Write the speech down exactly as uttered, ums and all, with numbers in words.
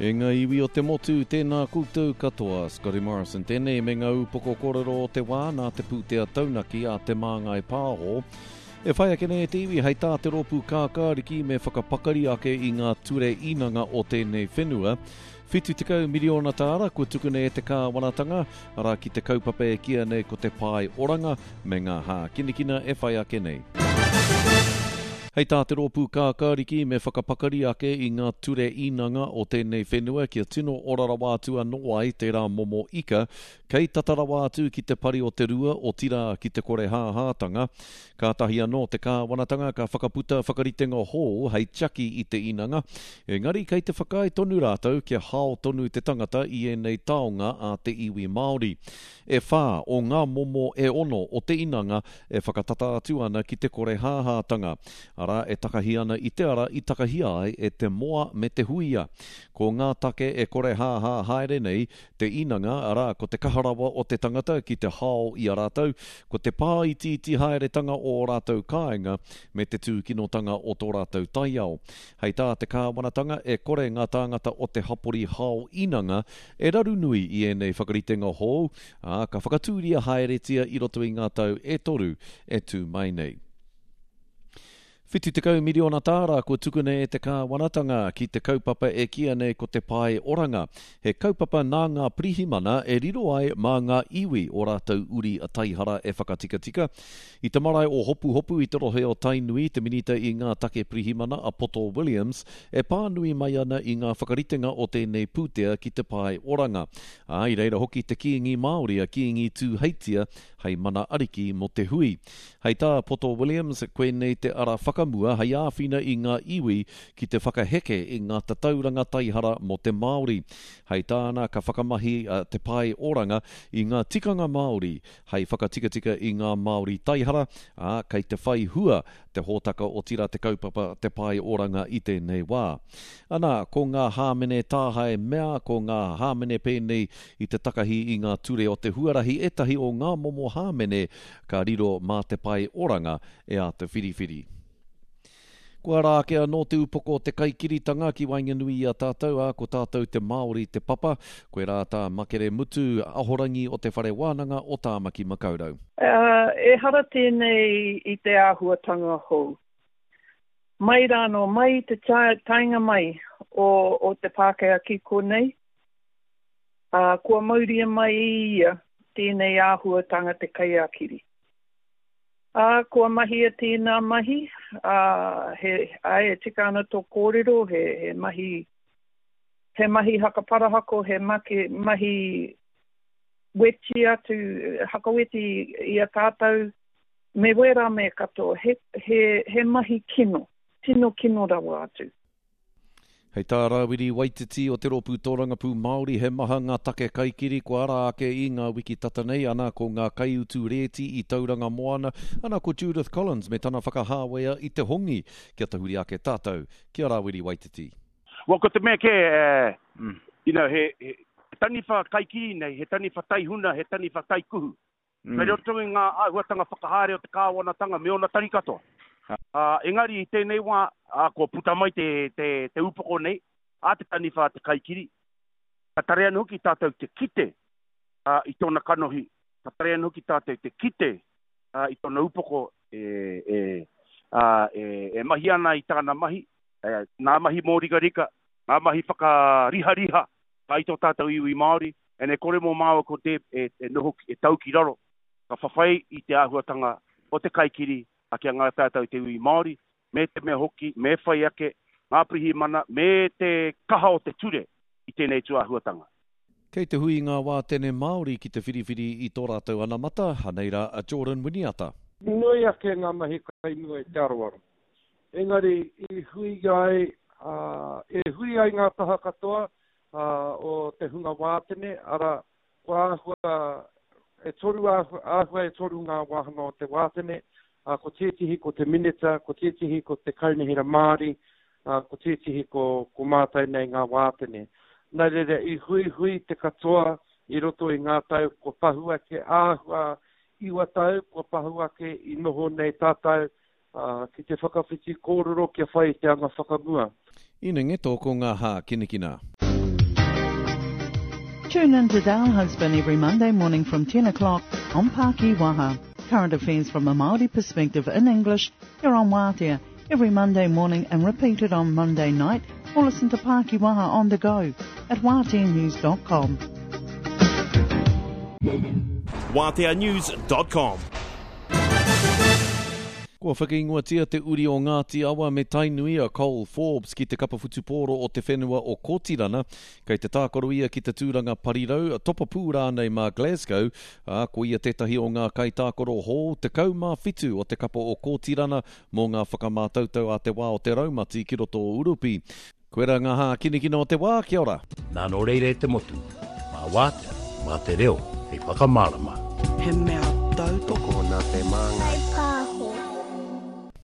E ngā iwi o te motu, tēnā koutou katoa. Scotty Morrison tēnei me ngā upoko kōrero o te wā nā te pūtea taunaki a Te Māngai Pāho. E whai ake nei e te iwi hei tā te rōpū kākāriki me whakapakari ake i ngā ture īnanga o tēnei whenua. Whitu tekau miriona tāra kua tukuna e te kāwanatanga, arā ki te kaupapa e kīia nei ko te Pae Oranga me ngā hākinakina e whai ake nei. Hei tā te rōpū kākāriki me whakapakari ake i ngā ture īnanga o tēnei whenua kia tino ora rawa atu anō ai tērā momo ika, kei tata rawa atu ki te pari o te rua, otirā ki te korehāhātanga. Kātahi anō te kāwanatanga ka whakaputa whakaritenga hou hei tiaki i te inanga, engari kei te whakaae tonu rātou kia hao tonu te tangata i ēnei taonga a te iwi Māori. E whā o ngā momo e ono o te inanga e whakatata atu ana ki te korehāhātanga, arā, e takahi ana i te ara i takahia ai e te moa me te huia. Ko ngā take e korehāhā haere nei te inanga, arā, ko te kaha rawa o te tangata ki te hao i a rātou, ko te pāitiiti haeretanga o ō rātou kāinga me te tūkinotanga o tō rātou taiao. Hei tā te kāwanatanga, e kore ngā tāngata o te hapori hao inanga e raru nui i ēnei whakaritenga hou, ā, ka whakatūria haeretia i roto i ngā tau e toru e tū mai nei. Whitu tekau miriona tāra kua tukuna e te kāwanatanga ki te kaupapa e kīia nei ko te Pae Oranga. He kaupapa nā ngā pirihimana e riro ai mā ngā iwi o rātou uri taihara e whakatikatika. I te marae o Hopuhopu i te rohe o Tainui te Minita i ngā Take Pirihimana a Poto Williams e pānui mai ana i ngā whakaritenga o tēnei pūtea ki te Pae Oranga. Ā, i reira hoki te Kīngi Māori a Kīngi Tūheitia hei mana ariki mō te hui. Hei tā Poto Williams, koinei te ara whakamua hei āwhina i ngā iwi ki te whakaheke i ngā tatauranga taihara mō te Māori. Hei tāna, ka whakamahi te Pae Oranga i ngā tikanga Māori hei whakatikatika i ngā Māori taihara, ā, kei te whai hua te hōtaka otirā te kaupapa Te Pae Oranga i tēnei wā. Ana, ko ngā hāmene tāhae mea, ko ngā hāmene pēnei i te takahi i ngā ture o te huarahi ētahi o ngā momo hāmene ka riro mā Te Pae Oranga e āta whiriwhiri. Kua ara ake anō te upoko o te kaikiritanga ki waenganui i a tātou, ā, ko tātou te Māori te papa. Koirā tā Makere Mutu, ahorangi o Te Whare Wānanga o Tāmaki Makaurau. Ehara tēnei i te āhuatanga hou. Mai rānō, mai i te taenga mai o, o te Pākehā ki konei, ā, kua mauria mai e ia tēnei āhuatanga te kaiākiri. Ā, kua mahia tēnā mahi, ā, he, āe, e tika ana tō kōrero, he, he mahi, he mahi hakaparahako, he make, mahi weti atu, hakaweti i a tātou, me wērā mea katoa, he, he, he mahi kino, tino kino rawa atu. Hei tā Rāwiri Waititi o Te Rōpū Tōrangapū Māori, he maha ngā take kaikiri kua ara ake i ngā wiki tata nei, ana ko ngā kaiutu rēti i Tauranga Moana, ana ko Judith Collins me tana whakahāwea i te hongi. Kia tahuri ake tātou ki a Rāwiri Waititi. Well, ko te mea kē, you know, he, he taniwha kaikiri nei, he taniwha taihuna, he taniwha taikuhu. Kei roto i ngā āhuatanga whakahaere o te kāwanatanga me ōna tari katoa. Ā, engari i tēnei wā, ā, kua puta mai te, te, te upoko nei, a te taniwha a te kaikiri, ka tare anō hoki tātou te kite, ā, i tōna kanohi, ka tare anō hoki tātou te kite, ā, i tōna upoko e, e, ā, e, e mahi ana i tāna mahi, e, ngā mahi mōrikarika, ngā mahi whakarihariha i tō tātou iwi Māori, and e kore mō māua ko Deb e, e noho, e tau ki raro, ka whawhai i te āhuatanga o te kaikiri a ki a ngā tātou te iwi Māori, me te mea hoki, me whai ake ngā pirihimana me te kaha o te ture i tēnei tūāhuatanga. Kei te hui ngā wātene Māori ki te whiriwhiri i tō rātou anamata, anei rā a Jordan Winiata. Nui ake ngā mahi kai mua i te aroaro. Engari i hui ai, e hui ai ngā taha katoa o te hunga wātene, arā, kua āhua e toru āhua e toru ngā wāhanga o te wātene, ā, ko tētehi ko te minita, ko tētehi ko te kaunihera Māori, ā, ko tētehi ko, ko mātou nei ngā wātene. Nā reira, i huihui te katoa i roto i ngā tau kua pahu ake, āhua iwa tau kua pahu ake i noho nei tātou ā, ki te whakawhiti kōrero kia whai i te anga whakamua. Inenge tō ko ngā hākinakina. Tune in to Dale Husband every Monday morning from ten o'clock on Paki Waha. Current affairs from a Māori perspective in English here on Waatea every Monday morning and repeated on Monday night, or listen to Paki Waha on the go at waatea news dot com. waatea news dot com. Kua whakaingoatia te uri o Ngāti Awa me Tainui a Cole Forbes ki te kapa whutupōro o te whenua o Kōtirana, kei te tākaro ia ki te tūranga parirau, topapū rānei mā Glasgow, ā, ko ia tētahi o ngā kaitākaro hou tekau mā whitu o te kapa o Kōtirana mō ngā whakamātautau a te wā o te raumati ki roto o Urupi. Koera ngā hākinakina o te wā, kia ora. Nā nō reira e te motu, mā wātea, mā te reo, hei whakamārama. He mea tautoko nā te māngai.